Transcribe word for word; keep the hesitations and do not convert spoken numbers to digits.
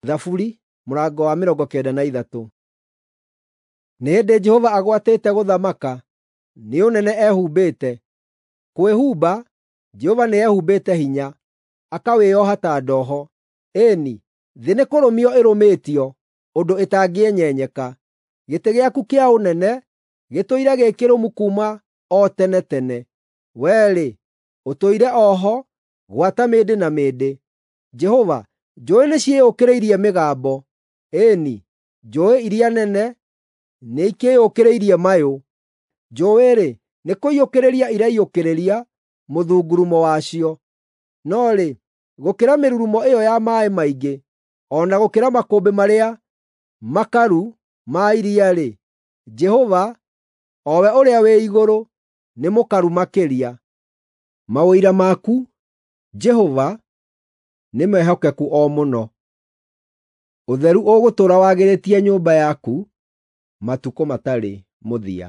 Thaburi mũrango wa mĩrongo kenda na ithatũ. Nĩ hĩndĩ Jehova agwatĩte gũthamaka, nĩ ũnene ehumbĩte; kwĩhumba, Jehova nĩehumbĩte hinya, akawĩoha ta ndoho. Ĩĩ-ni, thĩ nĩkũrũmio ĩrũmĩtio ũndũ ĩtangĩenyenyeka. Gĩtĩ gĩaku kĩa ũnene gĩtũire gĩ kĩrũmu kuuma o tene tene; Wee-rĩ, ũtũire o ho gwata mĩndĩ na mĩndĩ. Jehova, njũũĩ nĩciĩyũkĩrĩirie mĩgambo, ĩĩ-ni, njũũĩ iria nene nĩikĩĩyũkĩrĩirie mayũ. Njũũĩ-rĩ, nĩkũiyũkĩrĩria iraiyũkĩrĩria mũthungurumo wacio. No rĩ, gũkĩra mĩrurumo ĩyo ya maaĩ maingĩ, o na gũkĩra makũmbĩ marĩa makaru ma iria-rĩ, Jehova, o we ũrĩa wĩ igũrũ, nĩ mũkaru makĩria. Maũira maku, Jehova, nĩ mehokeku o mũno; ũtheru ũgũtũũra wagĩrĩtie nyũmba yaku matukũ matarĩ mũthia.